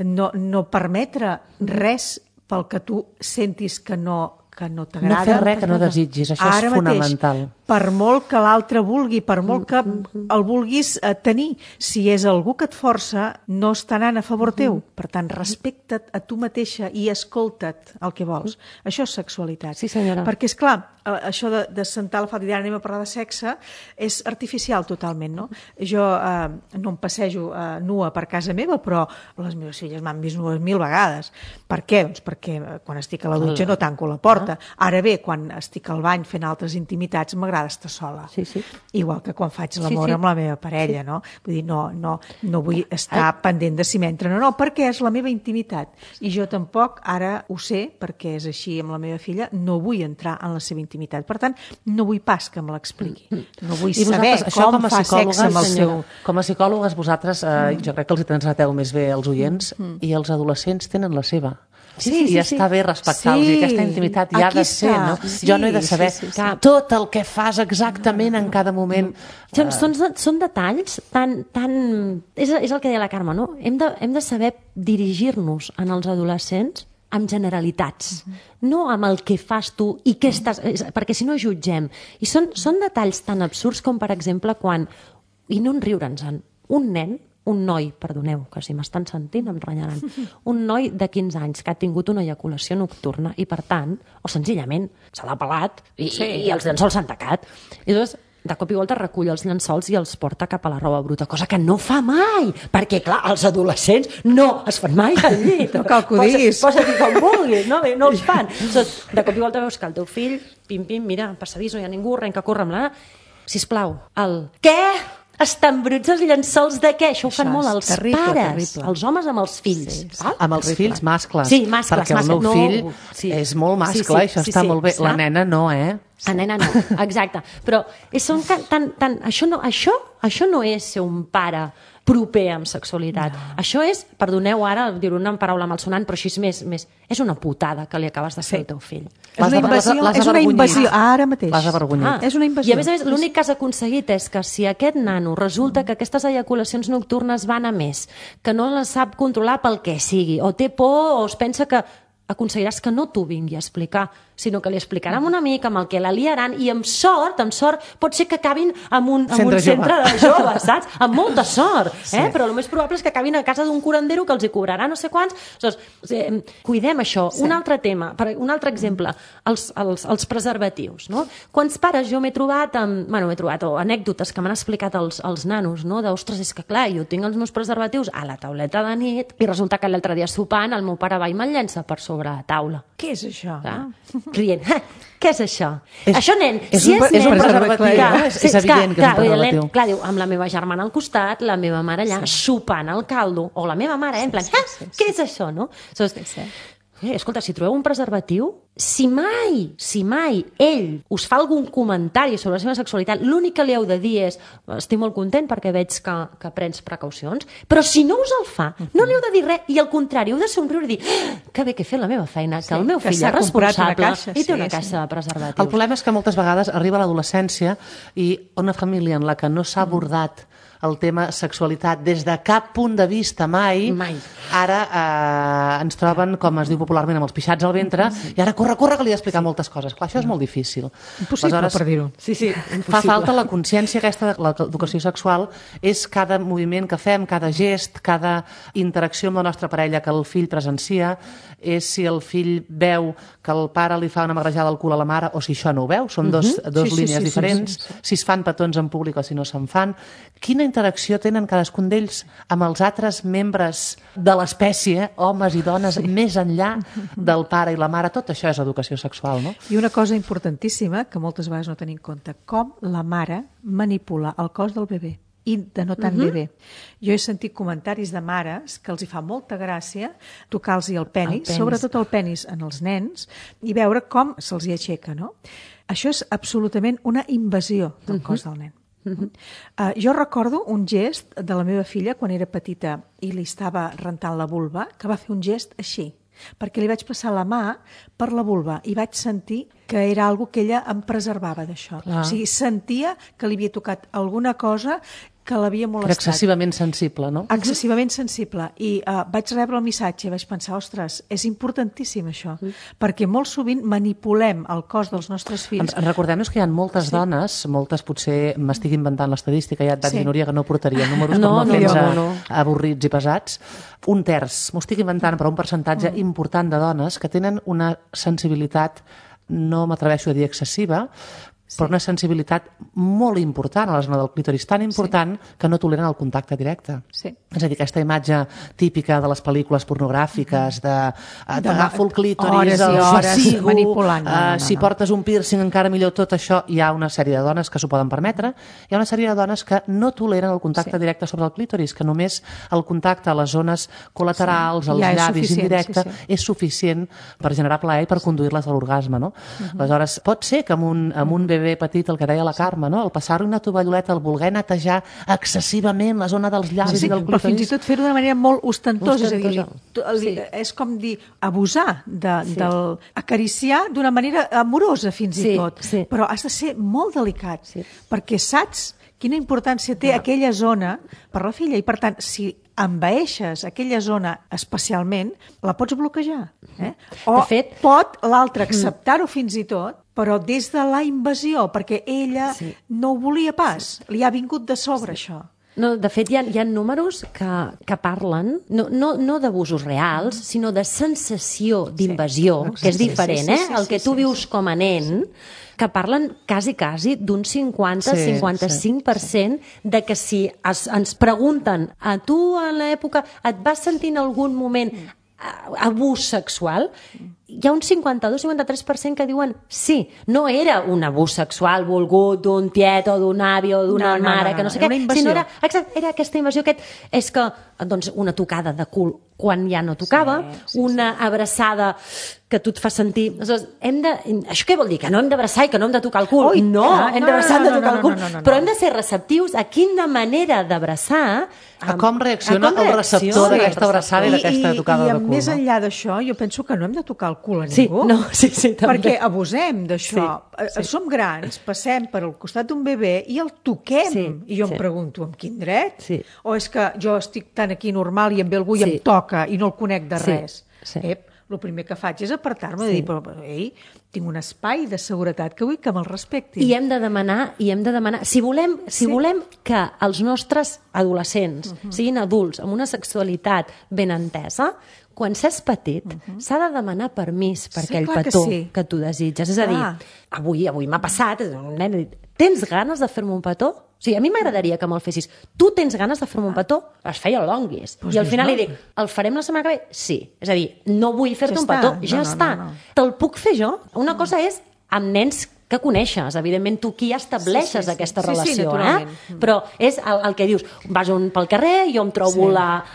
no permetre res pel que tu sentis que no t'agrada. No fer res que no desitgis, això és fonamental. Mateix, per molt que l'altre vulgui, per molt que el vulguis tenir, si és algú que et força, no està anant a favor teu. Per tant, respecta't a tu mateixa i escolta't el que vols. Això és sexualitat. Sí, senyora. Perquè, esclar, això de sentar la falda i dir anem a parlar de sexe és artificial totalment, no? Jo no em passejo nua per casa meva, però les meves filles m'han vist nues 1000 vegades. Per què? Doncs perquè quan estic a la dutxa no tanco la porta. Ara bé, quan estic al bany fent altres intimitats, m'agrada estar sola. Sí. Igual que quan faig l'amor amb la meva parella, no? Vull dir, no vull estar pendent de si m'entra. No, perquè és la meva intimitat. I jo tampoc, ara ho sé, perquè és així amb la meva filla, no vull entrar en la seva intimitat. Per tant, no vull pas que me l'expliqui. No vull saber com fa sexe amb el seu... Com a psicòlogues, vosaltres, jo crec que els hi transmeteu més bé als oients, i els adolescents tenen la seva. I està bé respectar-los, i aquesta intimitat ja ha de ser, no? Jo no he de saber tot el que fas exactament en cada moment. Són detalls tan... És el que deia la Carme, no? Hem de saber dirigir-nos en els adolescents amb generalitats, no amb el que fas tu i què estàs... Perquè si no jutgem. I són detalls tan absurds com, per exemple, quan... I no en riure'ns-en. Un noi, perdoneu, que si m'estan sentint em renyaran, un noi de 15 anys que ha tingut una eyaculació nocturna i, per tant, o senzillament se l'ha pelat i els llençols s'han tacat. I llavors, de cop i volta recull els llençols i els porta cap a la roba bruta, cosa que no fa mai, perquè, clar, els adolescents no es fan mai al llit. No cal que ho diguis. Posa-t'hi com vulguis, no els fan. De cop i volta veus que el teu fill, pim-pim, mira, passadís, no hi ha ningú, arrenca a córrer amb la... Sisplau, què? Estan bruts els llençols de què? Això ho fan molt els pares, els homes amb els fills. Amb els fills mascles. Sí, mascles. Perquè el meu fill és molt mascle, això està molt bé. La nena no, La nena no, exacte. Però això no és ser un pare proper amb sexualitat. Això és, perdoneu ara dir-ho una paraula malsonant, però així és més... És una putada que li acabes de fer al teu fill. És una invasió, ara mateix. L'has avergonyit. És una invasió. I a més, l'únic que has aconseguit és que si aquest nano resulta que aquestes eyaculacions nocturnes van a més, que no les sap controlar pel que sigui, o té por, o es pensa que aconseguiràs que no t'ho vingui a explicar, sinó que li explicarà amb un amic amb el que la liaran i amb sort pot ser que acabin en un centre de joves, saps? Amb molta sort, però el més probable és que acabin a casa d'un curandero que els hi cobrarà no sé quants. Cuidem això. Un altre tema, un altre exemple, els preservatius, no? Quants pares jo m'he trobat o anècdotes que m'han explicat els nanos, no? Ostres, és que clar, jo tinc els meus preservatius a la tauleta de nit i resulta que l'altre dia sopant el meu pare va i me'l llença per sobre sobre la taula. Què és això? Rient. Què és això? Això, nen, és si un és nen... preservatiu, és evident que és un preservatiu. Clar, diu, amb la meva germana al costat, la meva mare allà xupant el caldo, o la meva mare, en plan, què és això, no? Escolta, si trobeu un preservatiu, si mai ell us fa algun comentari sobre la seva sexualitat, l'únic que li heu de dir és estic molt content perquè veig que prens precaucions, però si no us el fa, no li heu de dir res, i al contrari, heu de somriure i dir que bé que he fet la meva feina, que el meu fill és responsable i té una caixa de preservatius. El problema és que moltes vegades arriba l'adolescència i una família en la que no s'ha abordat el tema sexualitat des de cap punt de vista mai. Ara ens troben, com es diu popularment, amb els pixats al ventre, i ara corre, que li he d'explicar moltes coses. Clar, això és molt difícil. Impossible, per dir-ho. Sí, fa falta la consciència aquesta de l'educació sexual, és cada moviment que fem, cada gest, cada interacció amb la nostra parella que el fill presencia, és si el fill veu que el pare li fa una magrejada al cul a la mare o si això no ho veu, són dos línies diferents, si es fan petons en públic o si no se'n fan. Quina interacció tenen cadascun d'ells amb els altres membres de l'espècie, homes i dones, més enllà del pare i la mare? Tot això és educació sexual, no? I una cosa importantíssima, que moltes vegades no tenim en compte, com la mare manipula el cos del bebè i de no tant bebè. Jo he sentit comentaris de mares que els hi fa molta gràcia tocar-los el penis, sobretot el penis en els nens, i veure com se'ls hi aixeca, no? Això és absolutament una invasió del cos del nen. Jo recordo un gest de la meva filla quan era petita i li estava rentant la vulva, que va fer un gest així, perquè li vaig passar la mà per la vulva i vaig sentir que era algo que ella em preservava d'això. O sigui, sentia que li havia tocat alguna cosa que l'havia molestat. Era excessivament sensible, no? Excessivament sensible. I vaig rebre el missatge i vaig pensar, ostres, és importantíssim això, perquè molt sovint manipulem el cos dels nostres fills. Recordem-nos que hi ha moltes dones, moltes potser m'estic inventant l'estadística, ja et vaig dir, Núria, que no portaria números per no fer-nos avorrits i pesats. Un terç, m'ho estic inventant, però un percentatge important de dones que tenen una sensibilitat, no m'atreveixo a dir excessiva, però una sensibilitat molt important a la zona del clítoris, tan important que no toleren el contacte directe. És a dir, aquesta imatge típica de les pel·lícules pornogràfiques d'agafo el clítoris, el facigo, si portes un piercing encara millor, tot això. Hi ha una sèrie de dones que s'ho poden permetre, hi ha una sèrie de dones que no toleren el contacte directe sobre el clítoris, que només el contacte a les zones col·laterals, als llavis indirecte, és suficient per generar plaer i per conduir-les a l'orgasme, no? Aleshores, pot ser que amb un bebè petit, el que deia la Carme, no? El passar-li una tovalloleta, el voler netejar excessivament la zona dels llavis i del clítoris. Però fins i tot fer-ho d'una manera molt ostentosa, és a dir, és com dir, abusar, acariciar d'una manera amorosa fins i tot, però has de ser molt delicat, perquè saps quina importància té aquella zona per la filla i, per tant, si envaeixes aquella zona especialment, la pots bloquejar. O pot l'altre acceptar-ho fins i tot, però des de la invasió, perquè ella no ho volia pas, li ha vingut de sobre això. No, de fet, hi ha números que parlen, no d'abusos reals, sinó de sensació d'invasió, que és diferent, el que tu vius com a nen, que parlen quasi d'un 50-55% de que si ens pregunten a tu en l'època et vas sentir en algun moment abús sexual, hi ha un 52-53% que diuen sí, no era un abús sexual volgut d'un tiet o d'un avi o d'una mare, que no sé què, sinó era aquesta invasió, és que doncs, una tocada de cul quan ja no tocava, una abraçada que tu et fa sentir... Això què vol dir? Que no hem d'abraçar i que no hem de tocar el cul? No, hem d'abraçar, hem de tocar el cul, però hem de ser receptius a quina manera d'abraçar... A com reacciona el receptor d'aquesta abraçada i d'aquesta tocada de cul. I més enllà d'això, jo penso que no hem de tocar el cul a ningú. Sí, també. Perquè abusem d'això. Som grans, passem per al costat d'un bebè i el toquem. I jo em pregunto, amb quin dret? O és que jo estic tan aquí normal i em ve algú i em toca i no el conec de res? El primer que faig és apartar-me de dir, però ei, tinc un espai de seguretat que vull que me'l respectin. I hem de demanar, si volem que els nostres adolescents siguin adults amb una sexualitat ben entesa, quan s'és petit, s'ha de demanar permís per aquell petó que tu desitges. És a dir, avui m'ha passat, un nen ha dit, tens ganes de fer-me un petó? O sigui, a mi m'agradaria que me'l fessis. Tu tens ganes de fer-me un petó? Es feia el longuis. Pues I al final no. li dic, el farem la setmana que ve? Sí. És a dir, no vull fer-te Ja un està. petó. No, Ja no, està. no. Te'l puc fer jo? Una cosa és amb nens que coneixes, evidentment tu qui estableixes Sí. aquesta Sí, sí, relació, naturalment. Però és el que dius, vas pel carrer, jo em trobo la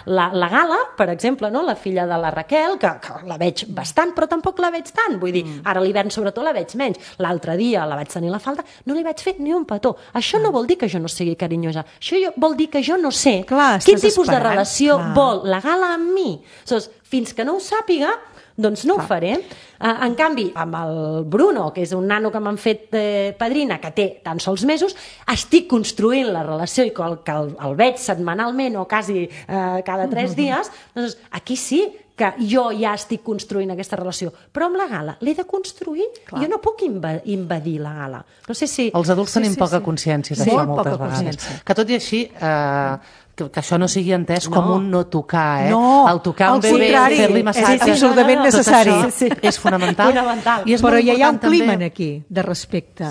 Gala, per exemple, no? La filla de la Raquel, que la veig bastant, però tampoc la veig tant, vull dir, ara a l'hivern sobretot la veig menys, l'altre dia la vaig tenir a la falda, no li vaig fer ni un petó. Això no vol dir que jo no sigui carinyosa, això vol dir que jo no sé quin tipus de relació vol la Gala amb mi. Aleshores, fins que no ho sàpiga, doncs no ho faré. En canvi, amb el Bruno, que és un nano que m'han fet padrina, que té tan sols mesos, estic construint la relació i que el veig setmanalment o quasi cada 3 dies, doncs aquí sí que jo ja estic construint aquesta relació. Però amb la Gala l'he de construir. Jo no puc invadir la Gala. No sé si... Els adults tenim poca consciència d'això moltes vegades. Que tot i així... que això no sigui entès com un no tocar, No, el tocar al un bebè, contrari, fer-li massatge, és absolutament necessari. Tot això és fonamental. I és però molt ja hi ha un important clima també. aquí de respecte,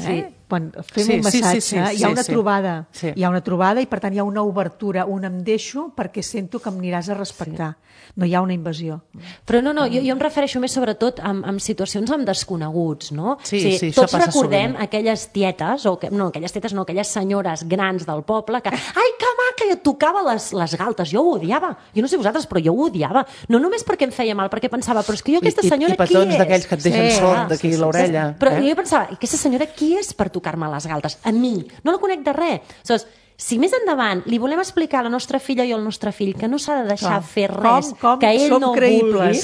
Quan fem Sí, un massatge sí, hi ha una trobada, Sí. hi ha una trobada i per tant hi ha una obertura, un em deixo perquè sento que em aniràs a respectar. No hi ha una invasió. Però no, jo em refereixo més sobretot en situacions amb desconeguts, no? Sí, o sigui, sí, això tots passa recordem sovint. aquelles tietes, aquelles senyores grans del poble que, ai, que maca, i et tocava les galtes. Jo ho odiava. Jo no sé vosaltres, però jo ho odiava. No només perquè em feia mal, perquè pensava, però és que jo aquesta senyora qui és? I petons d'aquells que et deixen sord d'aquí l'orella. Però jo pensava, aquesta senyora qui és per tocar-me les galtes? A mi. No la conec de res. Aleshores, si més endavant li volem explicar a la nostra filla i al nostre fill que no s'ha de deixar fer res que ell no vulgui,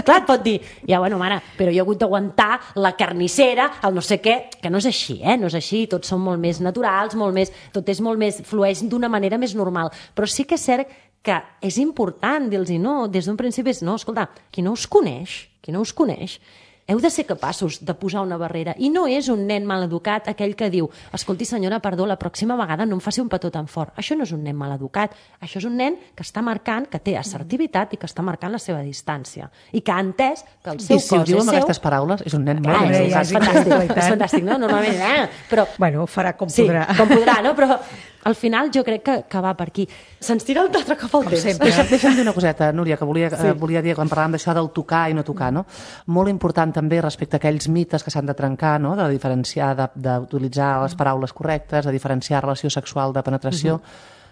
clar, et pot dir, ja, bueno, mare, però jo he hagut d'aguantar la carnissera, el no sé què, que no és així, no és així, tots són molt més naturals, tot és molt més, flueix d'una manera més normal, però sí que és cert que és important dir-los no, des d'un principi és no, escolta, qui no us coneix, heu de ser capaços de posar una barrera. I no és un nen maleducat aquell que diu, escolti senyora, perdó, la pròxima vegada no em faci un petó tan fort. Això no és un nen maleducat. Això és un nen que està marcant, que té assertivitat i que està marcant la seva distància. I que ha entès que el seu cos és seu. I si ho diu amb aquestes paraules, és un nen molt és fantàstic, no? Normalment, però... Bueno, farà com podrà. Sí, com podrà, no? Però al final jo crec que va per aquí. Se'ns tira l'altre cop el temps. Deixa'm dir una coseta, Núria, que volia dir quan parlàvem d'això del tocar i no tocar, no? Molt important també respecte a aquells mites que s'han de trencar, no? De diferenciar, d'utilitzar les paraules correctes, de diferenciar relació sexual de penetració,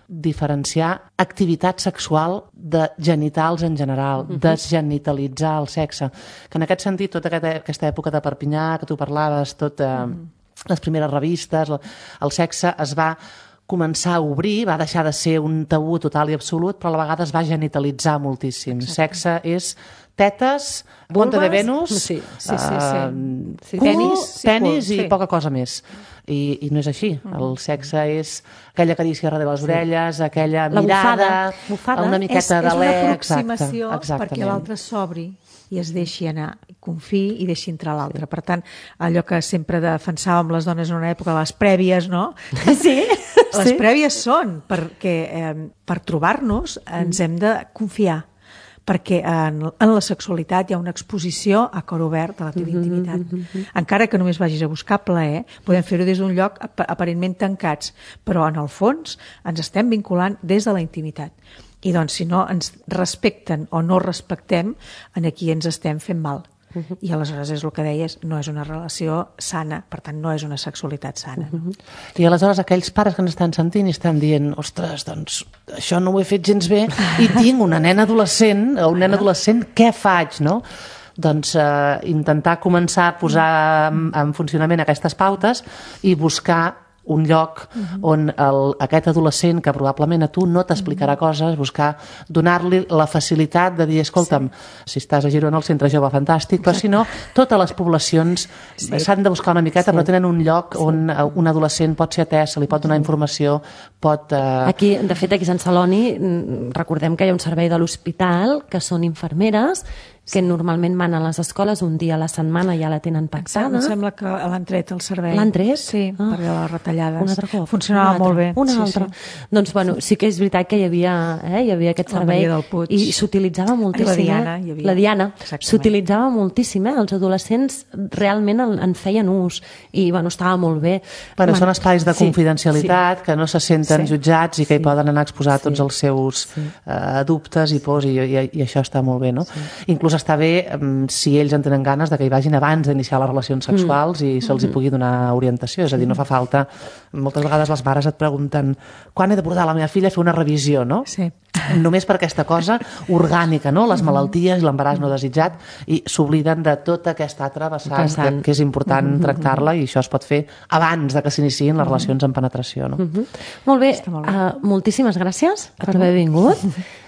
diferenciar activitat sexual de genitals en general, desgenitalitzar el sexe. Que en aquest sentit, tota aquesta època de Perpinyà, que tu parlaves, les primeres revistes, el sexe es va començar a obrir, va deixar de ser un tabú total i absolut, però a la vegada es va genitalitzar moltíssim. Sexe és tetes, punta de Venus, cul, tenis i poca cosa més. I no és així. El sexe és aquella carícia darrere les orelles, aquella mirada, una miqueta d'alè. És una aproximació perquè l'altre s'obri i es deixi anar, confiï i deixi entrar l'altre. Per tant, allò que sempre defensàvem les dones en una època, les prèvies, no? Sí. Les prèvies són perquè per trobar-nos ens hem de confiar, perquè en la sexualitat hi ha una exposició a cor obert a la teva intimitat. Encara que només vagis a buscar plaer, podem fer-ho des d'un lloc aparentment tancats, però en el fons ens estem vinculant des de la intimitat. I doncs si no ens respecten o no respectem, aquí ens estem fent mal. I aleshores és el que deies, no és una relació sana, per tant no és una sexualitat sana. I aleshores aquells pares que ens estan sentint i estan dient, ostres, doncs això no ho he fet gens bé i tinc una nena adolescent o un nen adolescent, què faig, no? Doncs intentar començar a posar en funcionament aquestes pautes i buscar un lloc on aquest adolescent que probablement a tu no t'explicarà coses, donar-li la facilitat de dir, escolta'm, si estàs a Girona al centre jove fantàstic, però si no, totes les poblacions s'han de buscar una miqueta, però tenen un lloc on un adolescent pot ser atès, se li pot donar informació, pot... Aquí, de fet, aquí a Sant Celoni recordem que hi ha un servei de l'hospital que són infermeres que normalment van a les escoles un dia a la setmana, ja la tenen pactada. Em sembla que l'han tret el servei. L'han tret? Sí, per les retallades. Un altre cop. Funcionava molt bé. Un altre. Doncs, bueno, sí que és veritat que hi havia aquest servei i s'utilitzava moltíssim. La Diana hi havia. La Diana. S'utilitzava moltíssim, els adolescents realment en feien ús i, bueno, estava molt bé. Bueno, són espais de confidencialitat que no se senten jutjats i que hi poden anar a exposar tots els seus dubtes i pors, i això està molt bé, no? Inclús està bé si ells en tenen ganes de que hi vagin abans d'iniciar les relacions sexuals i se'ls hi pugui donar orientació, és a dir, no fa falta. Moltes vegades les mares et pregunten quan he de portar la meva filla a fer una revisió, no? Sí. Només per aquesta cosa orgànica, no? Les malalties i l'embaràs no desitjat, i s'obliden de tota aquesta altra vessant que és important tractar-la, i això es pot fer abans de que s'iniciïn les relacions en penetració, no? Molt bé, moltíssimes gràcies per haver vingut.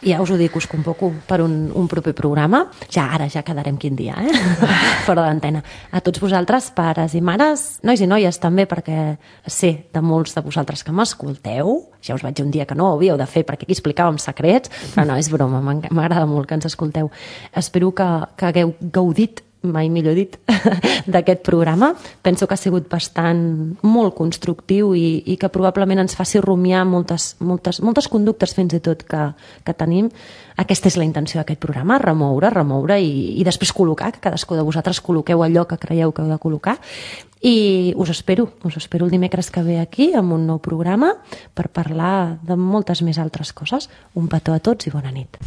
Ja us ho dic, us convoco per un proper programa. Ara ja quedarem quin dia, fora d'antena. A tots vosaltres, pares i mares, nois i noies també, perquè sé de molts de vosaltres que m'escolteu. Ja us vaig dir un dia que no ho havíeu de fer perquè aquí explicàvem secrets, però no, és broma, m'agrada molt que ens escolteu. Espero que hagueu gaudit, mai millor dit, d'aquest programa. Penso que ha sigut molt constructiu i que probablement ens faci rumiar moltes conductes fins i tot que tenim. Aquesta és la intenció d'aquest programa, remoure i després col·locar, que cadascú de vosaltres col·loqueu allò que creieu que heu de col·locar. I us espero el dimecres que ve aquí amb un nou programa per parlar de moltes més altres coses. Un petó a tots i bona nit.